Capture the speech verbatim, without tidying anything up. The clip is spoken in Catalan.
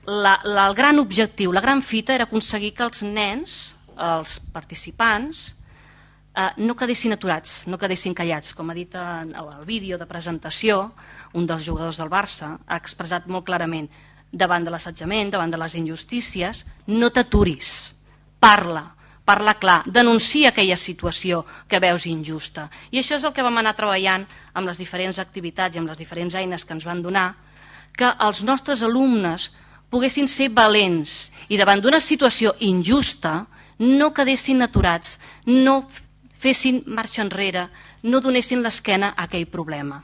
la, la, el gran objectiu, la gran fita era aconseguir que els nens, els participants, eh, no quedessin aturats, no quedessin callats. Com ha dit en el vídeo de presentació, un dels jugadors del Barça ha expressat molt clarament: davant de l'assetjament, davant de les injustícies, no t'aturis, parla, parla clar, denuncia aquella situació que veus injusta. I això és el que vam anar treballant amb les diferents activitats i amb les diferents eines que ens van donar, que els nostres alumnes poguessin ser valents i davant d'una situació injusta no quedessin aturats, no fessin marxa enrere, no donessin l'esquena a aquell problema.